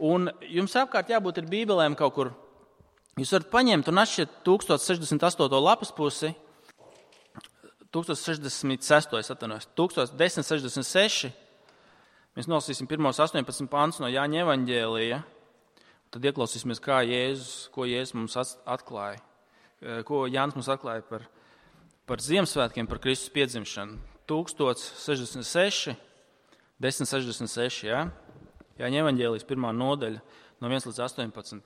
Un jums apkārt jābūt ir bībelēm kaut kur. Jūs varat paņemt un atšķirt 1068. lapas pusi, 1066. Mēs nolasīsim pirmos 18 pantus no Jāņa evaņģēlija. Tad ieklausīsimies, ko Jēzus mums atklāja, ko Jānis mums atklāja par Ziemassvētkiem, par Kristus piedzimšanu. 1066, 1066, jā? Jāņa evaņģēlijas 1. nodaļa, no 1 līdz 18.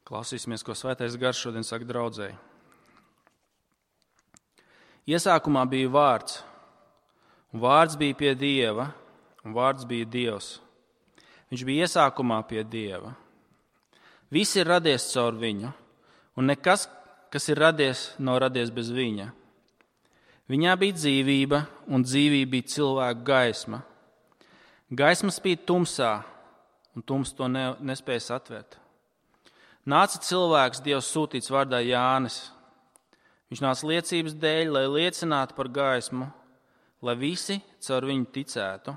Klausīsimies, ko Svētais Gars šodien saka draudzēji. Iesākumā bija vārds, un vārds bija pie Dieva, un vārds bija Dievs. Viņš bija iesākumā pie Dieva. Viss ir radies caur viņu, un nekas, kas ir radies, nav radies bez viņa. Viņā bija dzīvība, un dzīvība bija cilvēka gaisma. Gaisma spīd tumsā, un tums to nespēja satvērt. Nāca cilvēks, Dievs sūtīts vārdā Jānis. Viņš nāca liecības dēļ, lai liecinātu par gaismu, lai visi caur viņu ticētu.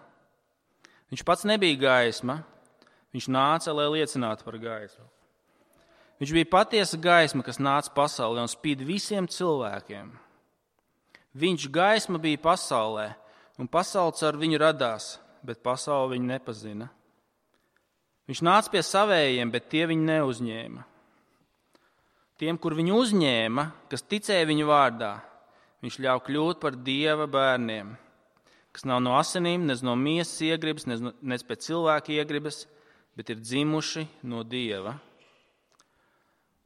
Viņš pats nebija gaisma, viņš nāca, lai liecinātu par gaismu. Viņš bija patiesa gaisma, kas nāca pasaulē un spīd visiem cilvēkiem. Viņš gaisma bija pasaulē, un pasaule caur viņu radās, bet pasaule viņu nepazina. Viņš nāca pie savējiem, bet tie viņu neuzņēma. Tiem, kur viņu uzņēma, kas ticēja viņu vārdā, viņš ļauj kļūt par Dieva bērniem, kas nav no asinīm, nec no miesas iegribas, nec pēc cilvēka iegribas, bet ir dzimuši no Dieva.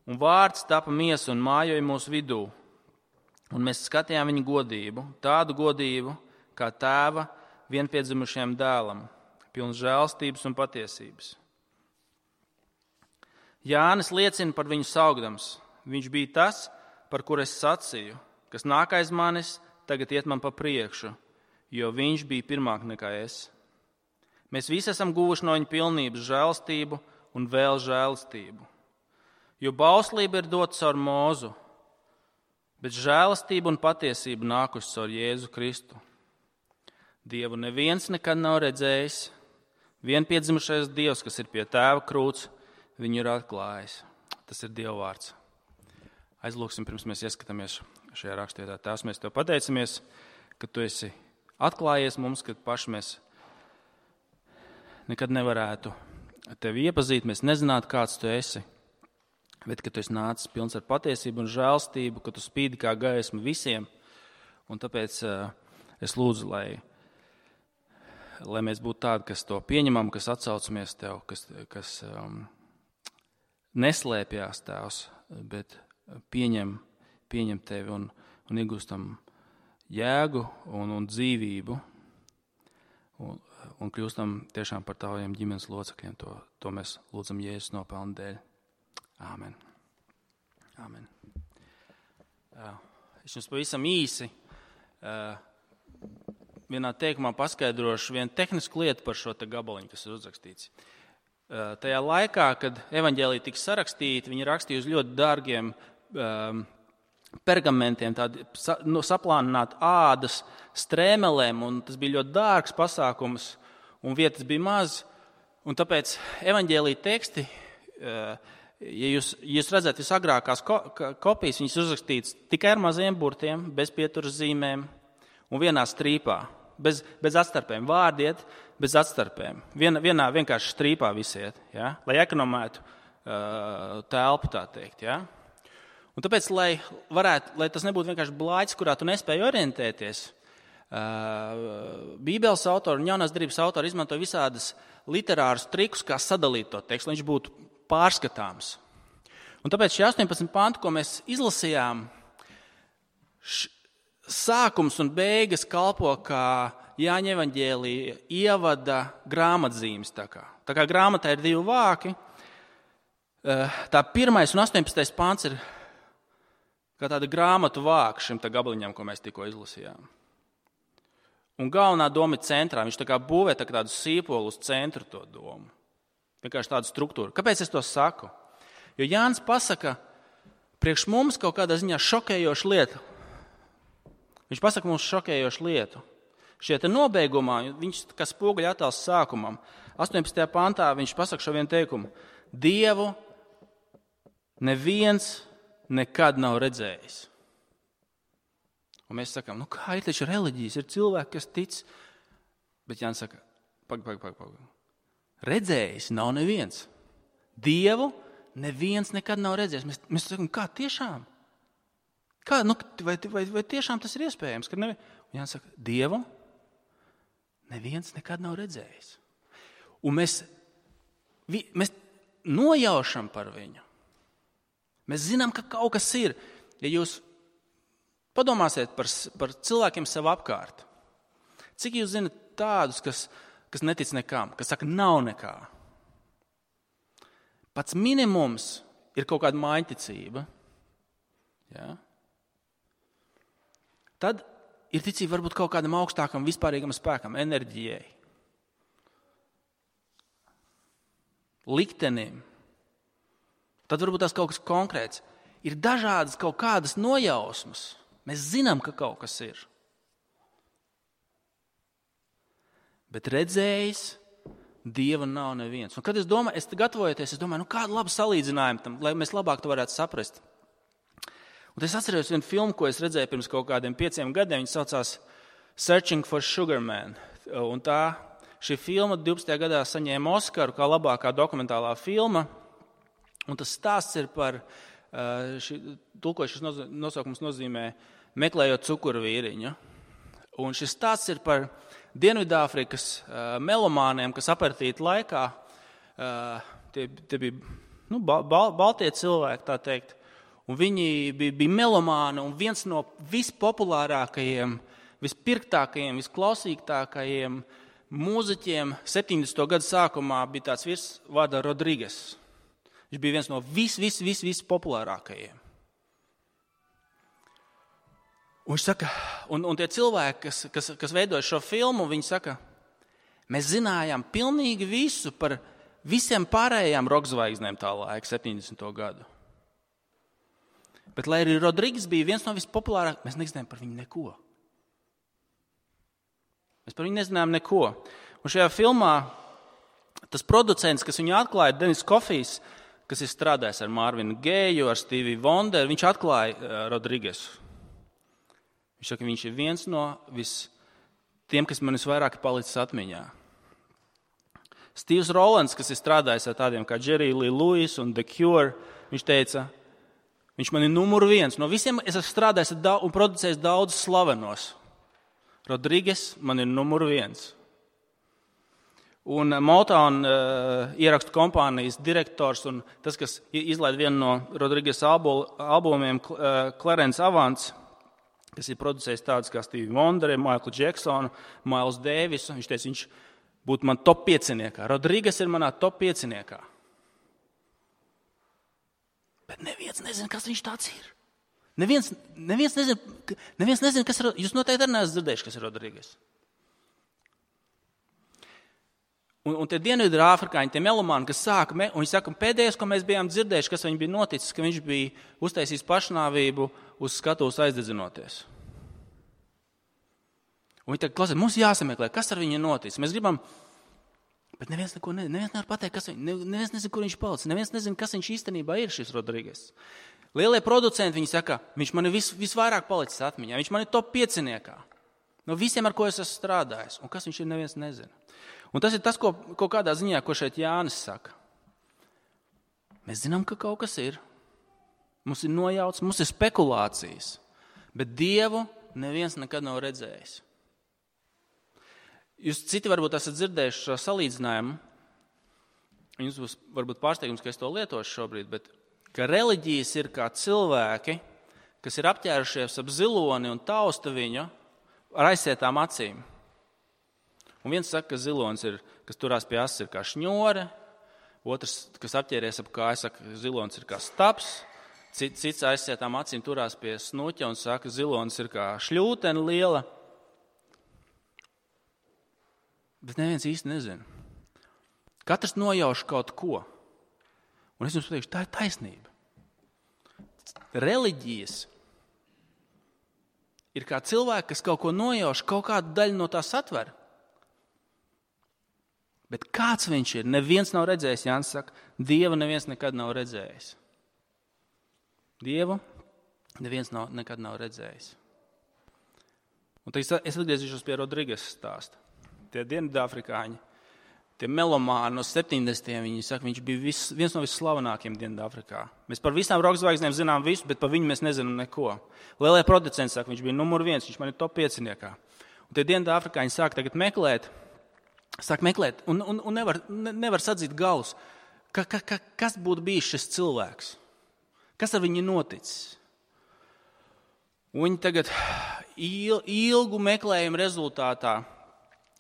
Un vārds tapa miesa un mājoja mūsu vidū, un mēs skatījām viņa godību, tādu godību, kā tēva vienpiedzimušajam dēlam, pilns žēlstības un patiesības. Jānis liecina par viņu saukdams. Viņš bija tas, par kur es sacīju, kas nāk aiz manis, tagad iet man pa priekšu, jo viņš bija pirmāk nekā es. Mēs visi esam guvuši no viņa pilnības žēlstību un vēl žēlstību. Jo bauslība ir dota caur Mūzu, bet žēlastība un patiesība nākusi caur Jēzu Kristu. Dievu neviens nekad nav redzējis, vienpiedzimušais Dievs, kas ir pie tēva krūts, viņu ir atklājis. Tas ir Dieva vārds. Aizlūksim, pirms mēs ieskatāmies šajā rakstvietā. Tēvs, mēs tev pateicamies, ka tu esi atklājies mums, ka paši mēs nekad nevarētu tevi iepazīt, mēs nezinātu, kāds tu esi, bet ka tu esi nācis pilns ar patiesību un žēlstību, ka tu spīdi kā gaisma visiem. Un tāpēc es lūdzu, lai mēs būtu tādi, kas to pieņemam, kas atsaucamies tev, kas neslēpjās tēvs, bet pieņem tevi un iegūstam jēgu un dzīvību un kļūstam tiešām par taviem ģimenes locekļiem. To mēs lūdzam Jēzus nopelnu dēļ. Āmen. Āmen. Es jums pavisam īsi vienā teikumā paskaidrošu vienu tehnisku lietu par šo te gabaliņu, kas ir uzrakstīts. Tajā laikā, kad evaņģēlija tika sarakstīta, viņi rakstīja uz ļoti dārgiem pergamentiem, tādi saplānināt ādas strēmelēm, un tas bija ļoti dārgs pasākums, un vietas bija maz, un tāpēc evaņģēlija teksti, ja jūs redzat visagrākās kopijas, viņas uzrakstītas tikai ar maziem burtiem, bez pieturas zīmēm un vienā strīpā. Bez atstarpēm. Vārdi iet bez atstarpēm. Vienā vienkārši strīpā visiet, ja? Lai ekonomētu telpu, tā teikt. Ja? Un tāpēc, lai tas nebūtu vienkārši blāķis, kurā tu nespēji orientēties, Bībeles autori un Jaunās derības autori izmanto visādas literārus trikus, kā sadalīt to tekstu, lai viņš būtu pārskatāms. Un tāpēc šie 18 panti, ko mēs izlasījām, sākums un beigas kalpo kā Jāņa evaņģēlija ievada grāmatzīmes. Tā kā grāmatā ir 2 vāki, tā 1. un 18. pants ir kā tāda grāmatu vāka šim gabaliņam, ko mēs tikko izlasījām. Un galvenā doma ir centrā. Viņš tā kā būvē tādu sīpolu uz centru to domu. Vienkārši tādu struktūru. Kāpēc es to saku? Jo Jānis pasaka priekš mums kaut kādā ziņā šokējošu lietu. Viņš pasaka mums šokējošu lietu. Šie te nobeigumā, viņš kā spoguļa attēls sākumam, 18. pantā viņš pasaka šo vienu teikumu. Dievu neviens nekad nav redzējis. Un mēs sakām, kā ir taču reliģijas, ir cilvēki, kas tic. Bet Jānis saka, pag. Redzējis nav neviens. Dievu neviens nekad nav redzējis. Mēs sakām, kā tiešām? Kā, vai tiešām tas ir iespējams? Un Jānis saka, Dievu neviens nekad nav redzējis. Un mēs nojaušam par viņu. Mēs zinām, ka kaut kas ir. Ja jūs padomāsiet par cilvēkiem sev apkārt, cik jūs zinat tādus, kas netic nekam, kas saka, nav nekā. Pats minimums ir kaut kāda maiņticība. Ja? Tad ir ticība varbūt kaut kādam augstākam vispārīgam spēkam, enerģijai, liktenim. Tad varbūt tas kaut kas konkrēts. Ir dažādas kaut kādas nojausmas. Mēs zinām, ka kaut kas ir. Bet redzējis Dieva nav neviens. Un kad es domāju, kādu labu salīdzinājumu tam, lai mēs labāk to varētu saprast. Un es atceros vienu filmu, ko es redzēju pirms kaut kādiem 5 gadiem. Viņa saucās Searching for Sugar Man. Un šī filma 12. gadā saņēma Oskaru kā labākā dokumentālā filma. Un tas stāsts ir par, tulkošais nosaukums nozīmē meklējot cukurvīriņu. Un šis stāsts ir par Dienvidāfrikas melomāniem, kas aperitīta laikā, tie bija baltie cilvēki, tā teikt. Un viņi bija melomāni, un viens no vispopulārākajiem, vispirktākajiem, visklausītākajiem mūziķiem 70. gadu sākumā bija tāds vīrs vārdā Rodrigues. Viņš bija viens no vispopulārākajiem. Un viņš saka, un tie cilvēki, kas veidoja šo filmu, viņi saka, mēs zinājām pilnīgi visu par visiem pārējām rockzvaigznēm tā laika 70. gadu. Bet, lai arī Rodrigues bija viens no vispopulārākajiem, mēs nezinājām par viņu neko. Mēs par viņu nezinājām neko. Un šajā filmā tas producents, kas viņu atklāja, Denis Kofijs, kas ir strādājis ar Marvinu Geju, ar Stevie Wonderu, viņš atklāja Rodriguesu. Viņš saka, viņš ir viens no tiem, kas man visvairāk palicis atmiņā. Steves Rollins, kas ir strādājis ar tādiem kā Jerry Lee Lewis un The Cure, viņš teica, viņš man ir numur 1. No visiem es esmu strādājis un producējis daudzus slavenos. Rodrigues man ir numur 1. Un Motown ierakstu kompānijas direktors un tas, kas izlaid vienu no Rodrigues albumiem, Clarence Avants, kas ir producējis tādus kā Stevie Wonder, Michael Jackson, Miles Davis, viņš teica, viņš būtu man top 5. Rodrigues ir manā top 5. Bet neviens nezina, kas viņš tāds ir. Neviens nezina, kas ir. Jūs noteikti arī neesat dzirdējuši, kas ir Rodrigues. Un tie Dienvidāfrikāņi, tie melomāni, kas sāka, un viņi saka, pēdējais, ko mēs bijām dzirdējuši, kas viņam bija noticis, ka viņš bija uztaisījis pašnāvību uz skatuves aizdedzinoties. Un viņi tagad klausās, mums jāsameklē, kas ar viņu ir noticis. Mēs gribam, bet neviens nevar pateikt, neviens nezina, kur viņš palicis, neviens nezina, kas viņš īstenībā ir šis Rodrigues. Lielie producenti, viņi saka, viņš man ir visvairāk palicis atmiņā, viņš man ir top 5. No visiem, ar ko es esmu strādājis. Un kas viņš ir, neviens nezina. Un tas ir tas, ko kādā ziņā, ko šeit Jānis saka. Mēs zinām, ka kaut kas ir. Mums ir nojauts, mums ir spekulācijas. Bet Dievu neviens nekad nav redzējis. Jūs citi varbūt esat dzirdējuši šo salīdzinājumu. Jums būs varbūt pārsteigums, ka es to lietošu šobrīd, bet ka reliģijas ir kā cilvēki, kas ir apķērušies ap ziloni un tausta viņu ar aizsietām acīm. Un viens saka, ka zilonis ir, kas turās pie asas, ir kā šņore, otrs, kas apķēries ap kāju, saka, ka zilonis ir kā staps, cits aizsietām acīm turās pie snuķa un saka, ka zilonis ir kā šļūtene liela. Bet neviens īsti nezina. Katrs nojauš kaut ko. Un es jums pateikšu, tā ir taisnība. Reliģijas ir kā cilvēki, kas kaut ko nojauš, kaut kādu daļu no tā satver. Bet kāds viņš ir? Neviens nav redzējis, Jānis saka, Dievu neviens nekad nav redzējis. Dievu neviens nekad nav redzējis. Un tad es atgriezīšos pie Rodriges stāsta. Tie Dienvidāfrikāņi, tie melomāni no 70. Viņi saka, viņš bija viens no visslavenākajiem Dienvidāfrikā. Mēs par visām roka zvaigznēm zinām visu, bet par viņu mēs nezinām neko. Lielie producenti saka, viņš bija numur 1, viņš man ir top 5. Un tie Dienvidāfrikāņi sāk tagad meklēt un nevar sadzīt galus. Kas būtu bijis šis cilvēks? Kas ar viņu noticis? Un viņi tagad ilgu meklējumu rezultātā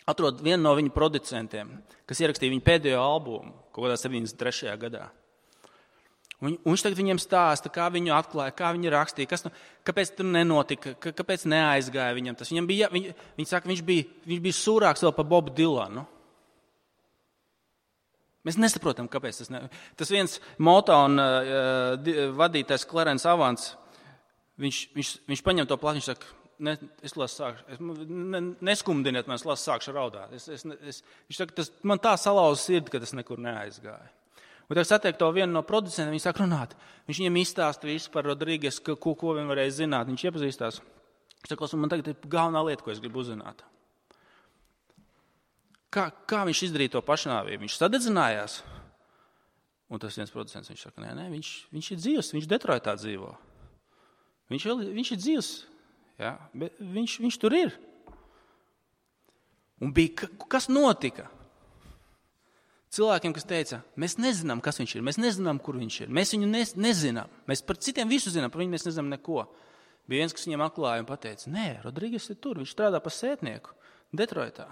atrod vienu no viņu producentiem, kas ierakstīja viņu pēdējo albumu kaut kādā 73. gadā. Un viņš tagad viņiem stāsta, kā viņu atklāja, kā viņi rakstīja, kāpēc tur nenotika, kāpēc neaizgāja viņam tas. Viņi saka, viņš bija sūrāks vēl par Bobu Dilanu. Mēs nesaprotam, kāpēc tas ne. Tas viens Motown vadītājs Clarence Avants, viņš paņem to plati, viņš saka, neskumdiniet man, es sākšu raudāt. Viņš saka, man tā salauza sirdi, ka tas nekur neaizgāja. Un tagad satiek to vienu no producentiem, viņi sāk runāt. Viņš viņiem izstāsta visu par Rodriges, ko viņi varēja zināt. Viņš iepazīstās. Viņš saka, man tagad ir galvenā lieta, ko es gribu uzzināt. Kā viņš izdarīja to pašnāvību? Viņš sadedzinājās. Un tas viens producents, viņš saka, nē, viņš ir dzīvs, viņš Detroitā dzīvo. Viņš ir dzīvs, jā, bet viņš tur ir. Un kas notika? Cilvēkiem, kas teica, mēs nezinām, kas viņš ir, mēs nezinām, kur viņš ir, mēs viņu nezinām. Mēs par citiem visu zinām, par viņu mēs nezinām neko. Bija viens, kas viņiem atklāja un pateica, nē, Rodriges ir tur, viņš strādā par sētnieku Detroitā.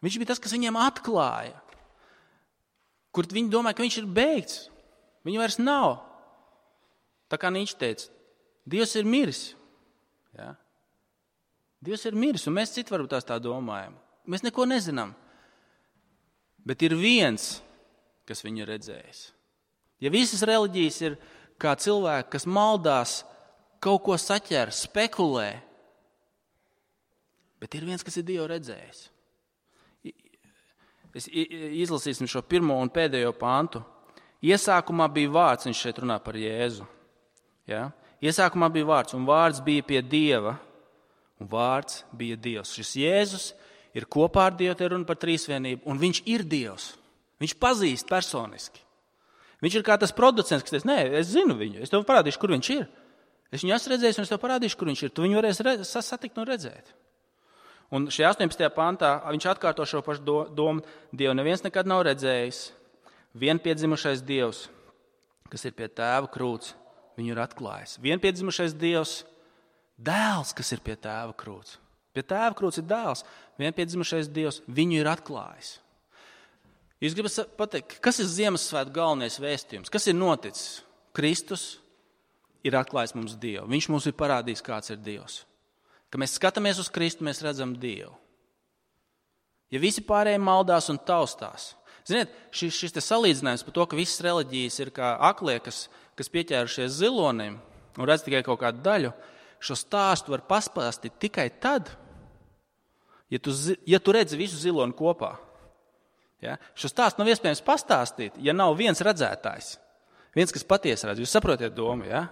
Viņš bija tas, kas viņiem atklāja, kur viņi domāja, ka viņš ir beigts. Viņu vairs nav. Tā kā Nīčs teica, Dievs ir miris. Ja? Dievs ir miris, un mēs citi varbūt tā domājam. Mēs neko nezinām. Bet ir viens, kas viņu redzējis. Ja visas reliģijas ir kā cilvēki, kas maldās, kaut ko saķer, spekulē, bet ir viens, kas ir Dievu redzējis. Izlasīsim šo pirmo un pēdējo pantu. Iesākumā bija vārds, viņš šeit runā par Jēzu. Ja? Iesākumā bija vārds, un vārds bija pie Dieva, un vārds bija Dievs. Šis Jēzus ir kopā ar Dievu, te runa par trīsvienību, un viņš ir Dievs. Viņš pazīst personiski. Viņš ir kā tas producents, kas teica, nē, es zinu viņu, es tev parādīšu, kur viņš ir. Es viņu esmu redzējis, un es tev parādīšu, kur viņš ir. Tu viņu varēsi satikt un redzēt. Un šajā 18. pantā viņš atkārto šo pašu domu. Dievu neviens nekad nav redzējis. Vienpiedzimušais Dievs, kas ir pie Tēva krūts, viņu ir atklājis. Vienpiedzimušais Dievs, dēls, kas ir pie Tēva krūts. Pie Tēva krūts ir dēls. Vienpiedzimušais Dievs, viņu ir atklājis. Jūs gribat pateikt, kas ir Ziemassvētku galvenais vēstījums? Kas ir noticis? Kristus ir atklājis mums Dievu. Viņš mums ir parādījis, kāds ir Dievs. Kad mēs skatāmies uz Kristu, mēs redzam Dievu. Ja visi pārējie maldās un taustās. Ziniet, šis te salīdzinājums par to, ka visas reliģijas ir kā aklie, kas pieķērušies zilonim un redz tikai kaut kādu daļu, šo stāstu var paspāstīt tikai tad, ja tu redzi visu ziloni kopā. Ja? Šo stāstu nav iespējams pastāstīt, ja nav viens redzētājs. Viens, kas patiesi redz. Jūs saprotiet domu, ja?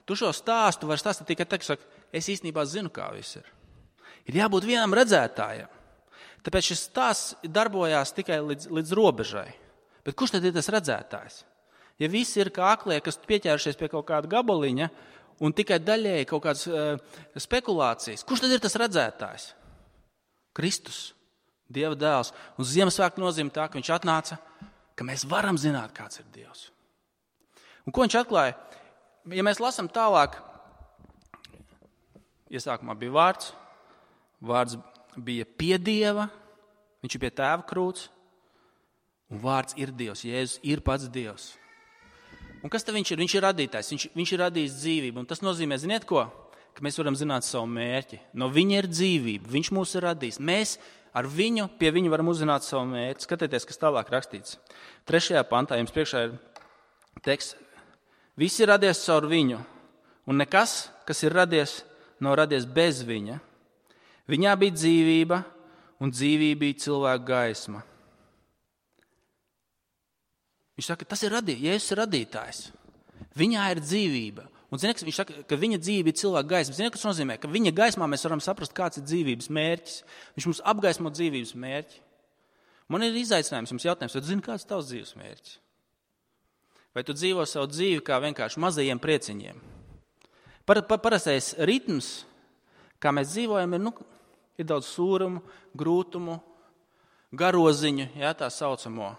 Tu šo stāstu var stāstīt tikai tā, ka saka, es īstenībā zinu, kā viss ir. Ir jābūt vienam redzētājam. Tāpēc šis stāsts darbojās tikai līdz robežai. Bet kurš tad ir tas redzētājs? Ja visi ir kā aklie, kas pieķērušies pie kaut kāda gabaliņa un tikai daļēji kaut kādas spekulācijas, kurš tad ir tas redzētājs? Kristus, Dieva dēls. Un Ziemassvētku nozīmē tā, ka viņš atnāca, ka mēs varam zināt, kāds ir Dievs. Un ko viņš atklāja? Ja mēs lasām tālāk, iesākumā bija vārds, vārds bija pie Dieva, viņš ir pie Tēva krūts, un vārds ir Dievs, Jēzus ir pats Dievs. Un kas tad viņš ir? Viņš ir radītājs, viņš ir radījis dzīvību, un tas nozīmē, ziniet ko? Ka mēs varam zināt savu mērķi. No viņa ir dzīvība, viņš mūs ir radījis. Mēs ar viņu, pie viņa varam uzzināt savu mērķi. Skatieties, kas tālāk rakstīts. 3. pantā jums priekšā ir teksts. Viss ir radies caur viņu, un nekas, kas ir radies, nav radies bez viņa. Viņā bija dzīvība, un dzīvība bija cilvēka gaisma. Viņš saka, tas ir Jēzus ir radītājs. Viņā ir dzīvība. Un viņš saka, ka viņa dzīvība ir cilvēka gaisma. Ziniet, kas nozīmē, ka viņa gaismā mēs varam saprast, kāds ir dzīvības mērķis. Viņš mums apgaismo dzīvības mērķi. Man ir izaicinājums, jums jautājums, vai tu zini, kāds ir tavs dzīves mērķis? Vai tu dzīvo savu dzīvi kā vienkārši mazajiem prieciņiem? Parastais ritms, kā mēs dzīvojam, ir daudz sūrumu, grūtumu, garoziņu, tā saucamo.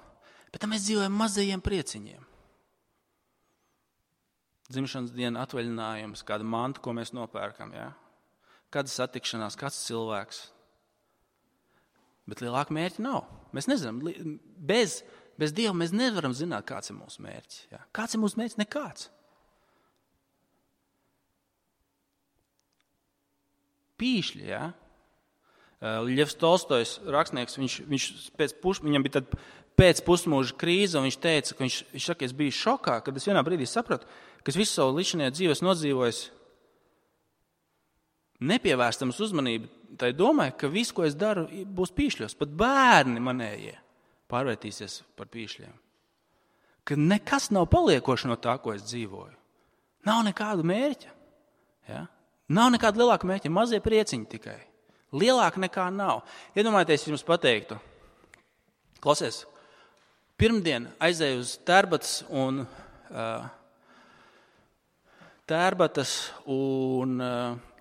Bet tam mēs dzīvojam mazajiem prieciņiem. Dzimšanas diena atvaļinājums, kāda manta, ko mēs nopērkam, kāda satikšanās, kāds cilvēks. Bet lielāka mērķa nav. Mēs nezinām, bez Dieva mēs nevaram zināt, kāds ir mūsu mērķis. Kāds ir mūsu mērķis? Nekāds. Pīšļi, Ļevs Tolstojs, rakstnieks, viņam bija tad pēc pusmūža krīze, un viņš teica, ka viņš saka, es biju šokā, kad es vienā brīdī sapratu, ka es visu savu līdzinējo dzīves nodzīvojis nepievērstams uzmanību tai domai, ka viss, ko es daru, būs pīšļos. Pat bērni manējie pārvērtīsies par pīšļiem. Ka nekas nav paliekoši no tā, ko es dzīvoju. Nav nekādu mērķa. Nav nekāda lielāka mērķa, mazie prieciņi tikai. Lielāka nekā nav. Iedomājieties, jums pateiktu. Klausies, pirmdien aizēju uz Tērbatas un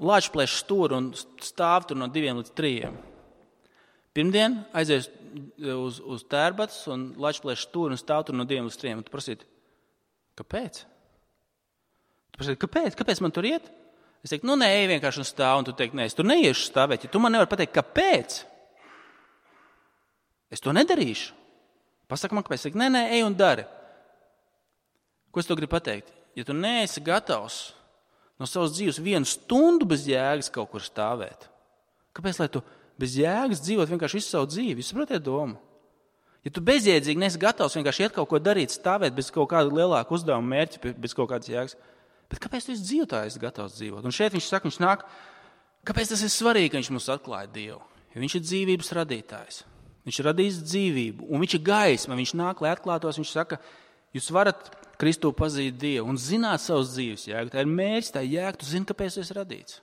Lāčplēša stūru un stāv tur no 2 līdz 3. Pirmdien aizēju uz Tērbatas un Lāčplēša stūru un stāv tur no 2 līdz 3. Un tu prasītu, kāpēc? Kāpēc man tur iet? Es teiktu, nē, ej vienkārši un stāv, un tu teiktu, nē, es tur neiešu stāvēt. Ja tu man nevari pateikt, kāpēc? Es to nedarīšu. Pasaka man, kāpēc. Es teiktu, nē, ej un dari. Ko es to gribu pateikt? Ja tu neesi gatavs no savas dzīves 1 stundu bez jēgas kaut kur stāvēt, kāpēc, lai tu bez jēgas dzīvot vienkārši visu savu dzīvi? Jūs saprotiet domu? Ja tu bezjēdzīgi neesi gatavs vienkārši iet kaut ko darīt, stāvēt bez kaut kāda lielāka uzdevuma mērķa, bez kaut kādas jēgas, bet kāpēc tu esi dzīvotājs gatavs dzīvot? Un šeit viņš saka, viņš nāk, kāpēc tas ir svarīgi, ka viņš mums atklāja Dievu? Jo viņš ir dzīvības radītājs. Viņš ir radījis dzīvību, un viņš ir gaisma, viņš nāk, lai atklātos, viņš saka, jūs varat Kristu pazīt Dievu un zināt savas dzīves jēgu. Tā ir mērķis, tā ir jēga, tu zini, kāpēc tu esi radīts.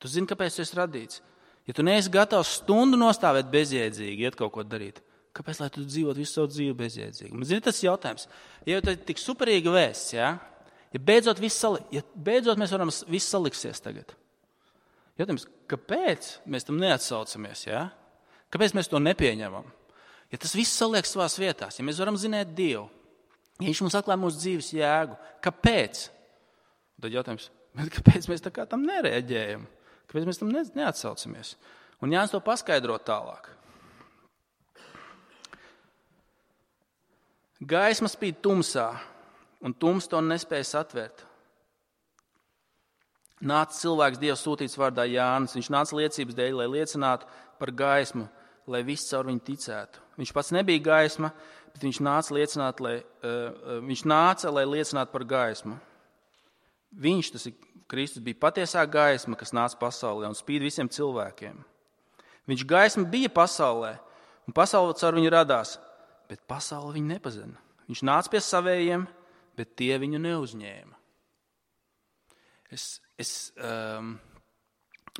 Tu zini, kāpēc tu esi radīts. Ja tu neesi gatavs stundu nostāvēt bezjēdzīgi, iet kaut ko darīt, kāpēc, lai tu dzīvot visu savu dzīvi bezjēdzīgi? Man zini, tas jautājums, ja tā ir tik superīga vēsts, ja beidzot mēs varam viss saliksies tagad. Jautājums, kāpēc mēs tam neatsaucamies, Kāpēc mēs to nepieņemam? Ja tas viss saliekas savās vietās, ja mēs varam zināt Dievu, ja viņš mums atklāja mūsu dzīves jēgu, kāpēc? Tad jautājums, kāpēc mēs tā kā tam nereaģējam? Kāpēc mēs tam neatsaucamies? Un Jānis to paskaidro tālāk. Gaisma spīd tumsā, un tums to nespēja satvērt. Nāca cilvēks Dievs sūtīts vārdā Jānis. Viņš nāca liecības dēļ, lai liecinātu par gaismu, lai viss caur viņu ticētu. Viņš pats nebija gaisma, bet viņš nāca, lai liecinātu par gaismu. Viņš, tas ir Kristus, bija patiesā gaisma, kas nāca pasaulē un spīd visiem cilvēkiem. Viņš gaisma bija pasaulē, un pasaule caur viņu radās, bet pasaule viņu nepazina. Viņš nāca pie savējiem, bet tie viņu neuzņēma.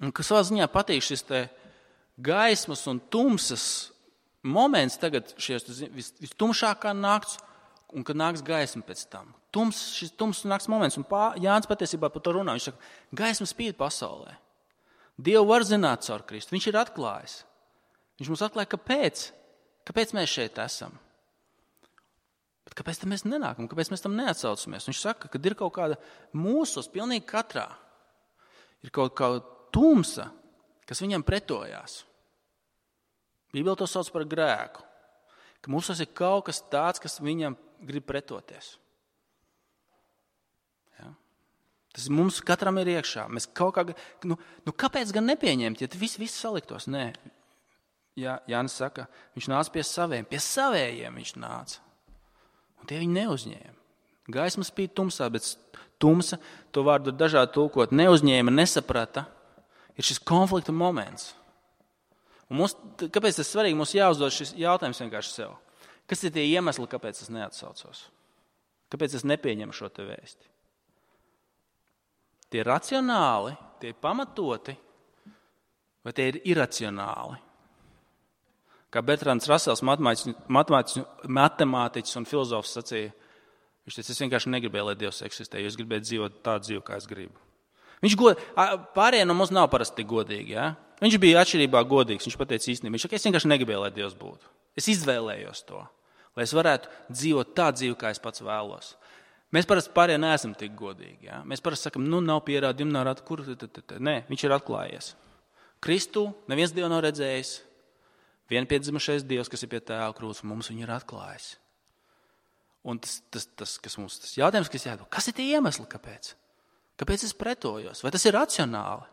Un kas savā ziņā patīk šis te gaismas un tumsas moments tagad, vistumšākā nakts, un kad nāks gaisma pēc tam. Šis tums nāks moments, un Jānis patiesībā par to runā. Viņš saka, gaisma spīd pasaulē. Dievu var zināt caur Kristu. Viņš ir atklājis. Viņš mums atklāja, kāpēc mēs šeit esam. Bet kāpēc tam mēs nenākam? Kāpēc mēs tam neatsaucamies? Viņš saka, ka ir kaut kāda mūsos, pilnīgi katrā, ir kaut kāda tumsa, kas viņam pretojās. Bībele to sauc par grēku. Ka mūsos ir kaut kas tāds, kas viņam grib pretoties. Tas mums katram ir iekšā. Mēs kaut kā, kāpēc gan nepieņemt, ja viss saliktos? Nē. Jānis saka, viņš nāca pie savējiem viņš nāca. Un tie viņi neuzņēma. Gaisma spīd tumsā, bet tumsa, to vārdu dažādi tulkot, neuzņēma, nesaprata, ir šis konflikta moments. Un kāpēc tas svarīgi? Mums jāuzdod šis jautājums vienkārši sev. Kas ir tie iemesli, kāpēc es neatsaucos? Kāpēc es nepieņemu šo te vēsti? Tie ir racionāli, tie ir pamatoti, vai tie ir iracionāli? Kā Bertrands Rasels, matemātiķis un filozofs sacīja, viņš teica, es vienkārši negribēju, lai Dievs eksistē, jo es gribēju dzīvot tādu dzīvi, kā es gribu. Pārējie no mums nav parasti tik godīgi. Ja? Viņš bija atšķirībā godīgs, viņš pateica īstenībā, viņš saka, es vienkārši negribēju, lai Dievs būtu. Es izvēlējos to, lai es varētu dzīvot tādu dzīvi, kā es pats vēlos. Mēs parasti pārējie neesam tik godīgi. Ja? Mēs parasti sakam, nav pierādījumi, nav rāda, kur. Nē, viņš ir atklājies. Kristu neviens Dievu nav redzējis. Vienpiedzimušais Dievs, kas ir pie Tēva krūts, mums viņu ir atklājis. Un tas jautājums, kas jādod, kas ir tie iemesli, kāpēc? Kāpēc es pretojos? Vai tas ir racionāli?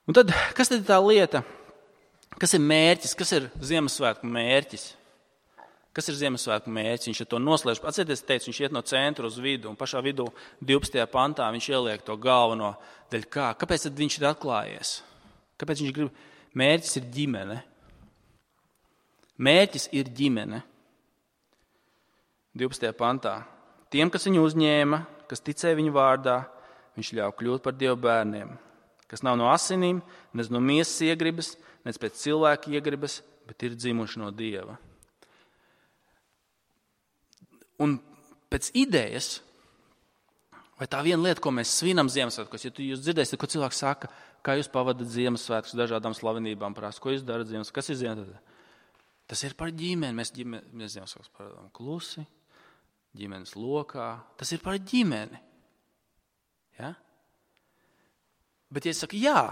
Un tad, kas tad ir tā lieta? Kas ir mērķis? Kas ir Ziemassvētku mērķis? Viņš to noslēdz. Atcerieties, teicu, viņš iet no centra uz vidu, un pašā vidū 12. pantā viņš ieliek to galveno daļu kā. Kāpēc tad viņš ir atklājies? Kāpēc viņš grib? Mērķis ir ģimene. Mērķis ir ģimene. 12. pantā. Tiem, kas viņu uzņēma, kas ticēja viņu vārdā, viņš ļauj kļūt par Dieva bērniem, kas nav no asinīm, nec no miesas iegribas, nec pēc cilvēka iegribas, bet ir dzimuši no Dieva. Un pēc idejas, vai tā viena lieta, ko mēs svinam Ziemassvētkos, ja jūs dzirdēsiet, ko cilvēks saka, kā jūs pavadat Ziemassvētkus dažādām slavenībām, prasa, ko jūs darat Ziemassvētkos, kas ir Ziemassvētkos? Tas ir par ģimeni, mēs Ziemassvētkos pavadām klusi, ģimenes lokā, tas ir par ģimeni. Ja? Bet ja es saku jā,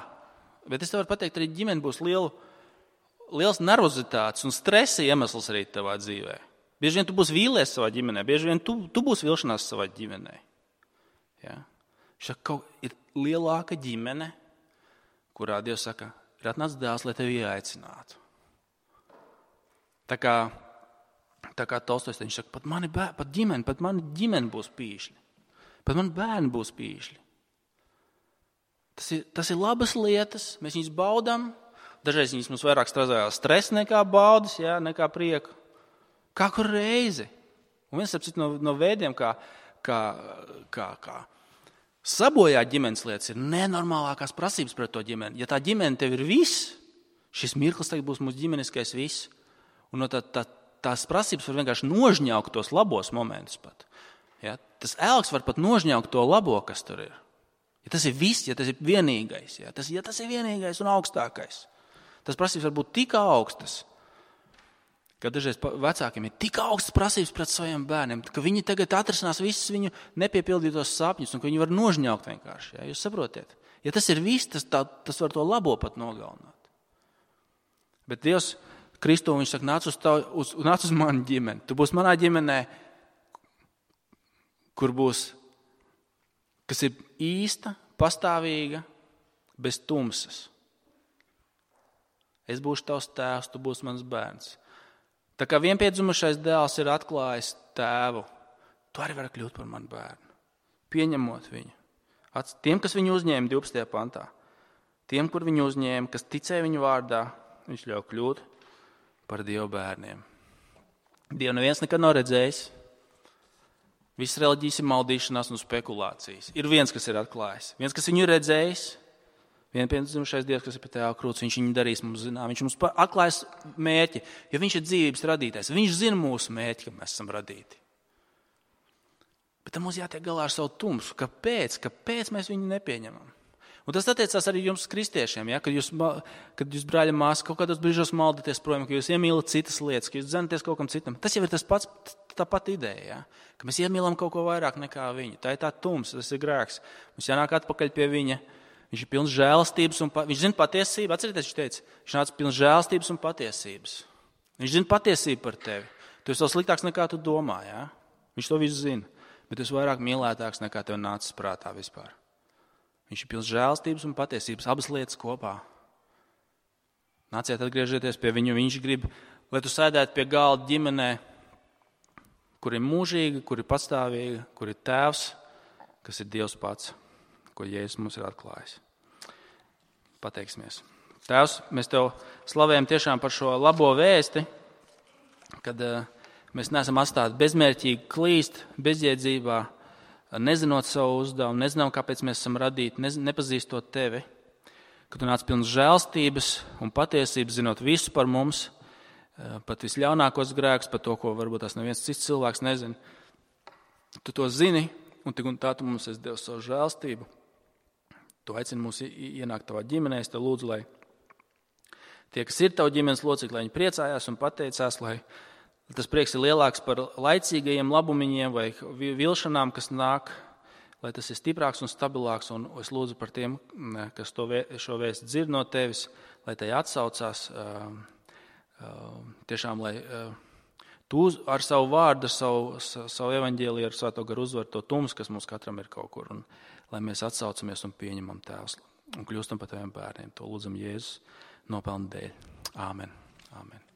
bet es tev varu pateikt, arī ģimene būs liels nervozitātes un stresa iemesls arī tavā dzīvē. Bieži vien tu būsi vīlies savā ģimenē, bieži vien tu būsi vilšanās savā ģimenē. Ja? Ir lielāka ģimene, kurā Dievs saka, ir atnācis dēls, lai tevi ieaicinātu. Tā kā Tolstojs, viņš saka, pat mani ģimene būs pīšļi. Pat mani bērni būs pīšļi. Tas ir labas lietas, mēs viņus baudām. Dažreiz viņas mums vairāk stresa nekā baudas, ja, nekā prieku. Kā kur reizi. Un viens no veidiem, kā sabojāt ģimenes lietas, ir nenormālākās prasības pret to ģimeni. Ja tā ģimene tev ir viss, šis mirklis tagad būs mūsu ģimeniskais viss. Un no tās prasības var vienkārši nožņaukt tos labos momentus pat. Ja? Tas elks var pat nožņaukt to labo, kas tur ir. Ja tas ir viss, ja tas ir vienīgais, ja tas ir vienīgais un augstākais. Tas prasības var būt tik augstas, ka dažreiz vecākiem ir tik augstas prasības pret saviem bērniem, ka viņi tagad atrisinās visus viņu nepiepildītos sapņus un ka viņi var nožņaukt vienkārši. Ja? Jūs saprotiet? Ja tas ir viss, tas var to labo pat nogalināt. Bet Dievs Kristu, viņš saka, nāc uz manu ģimeni. Tu būsi manā ģimenē, kas ir īsta, pastāvīga, bez tumsas. Es būšu tavs tēvs, tu būsi mans bērns. Tā kā vienpiedzimušais dēls ir atklājis tēvu, tu arī vari kļūt par manu bērnu, pieņemot viņu. Tiem, kas viņu uzņēma 12. pantā, tiem, kur viņu uzņēma, kas ticēja viņu vārdā, viņš ļauj kļūt par Dieva bērniem. Dievu neviens nekad nav redzējis. Visas reliģijas ir maldīšanās un spekulācijas. Ir viens, kas ir atklājis. Viens, kas viņu ir redzējis. Vienpiedzimušais Dievs, kas ir pie Tēva krūts, viņš viņu darīs mums zinām. Viņš mums atklājas mērķi, jo viņš ir dzīvības radītājs. Viņš zina mūsu mērķi, ka mēs esam radīti. Bet tam mums jātiek galā ar savu tumsu. Kāpēc mēs viņu nepieņemam? Un tas attiecās arī jums kristiešiem, ja? Kad jūs brāļa māsa kaut kādos brīžos maldaties projām, ka jūs iemīlat citas lietas, ka jūs dzenaties kaut kam citam. Tas jau ir tā pati ideja, ja? Ka mēs iemīlam kaut ko vairāk nekā viņu. Tā ir tā tumsa, tas ir grēks. Mums jānāk atpakaļ pie viņa. Viņš ir pilns žēlastības un viņš zina patiesību. Atcerieties, viņš teica, viņš nāca pilns žēlastības un patiesības. Viņš zina patiesību par tevi. Tu esi vēl sliktāks nekā tu domā, ja? Viņš to visu zina. Bet tu esi vairāk mīlētāks nekā tev nācis prātā vispār. Viņš ir pilns žēlastības un patiesības, abas lietas kopā. Nāciet, atgriežieties pie viņu. Viņš grib, lai tu sēdētu pie galda ģimenē, kur ir mūžīga, kur ir pastāvīga, kur ir tēvs, kas ir Dievs pats, ko Jēzus mums ir atklājis. Pateiksimies. Tēvs, mēs Tev slavējam tiešām par šo labo vēsti, kad mēs neesam atstāti bezmērķīgi klīst, bezjēdzībā, nezinot savu uzdevumu, nezinām, kāpēc mēs esam radīti, nepazīstot Tevi, ka Tu nāc pilns žēlstības un patiesības, zinot visu par mums, pat visļaunākos grēkus, par to, ko varbūt tās neviens cits cilvēks nezina. Tu to zini, un tik un tā Tu mums esi devis savu žēlstību. Tu aicini mūs ienākt Tavā ģimenē, es Tev lūdzu, lai tie, kas ir Tavu ģimenes locekļi, lai viņi priecājās un pateicās, lai tas prieks ir lielāks par laicīgajiem labumiņiem vai vilšanām, kas nāk, lai tas ir stiprāks un stabilāks. Un es lūdzu par tiem, kas šo vēstu dzird no Tevis, lai tai atsaucās. Tiešām, lai Tu ar savu vārdu, ar savu evaņģēliju, ar Svēto garu uzvar to tumsu, kas mums katram ir kaut kur. Un lai mēs atsaucamies un pieņemam Tēvs un kļūstam par Taviem bērniem. To lūdzam Jēzus nopelnu dēļ. Āmen. Āmen.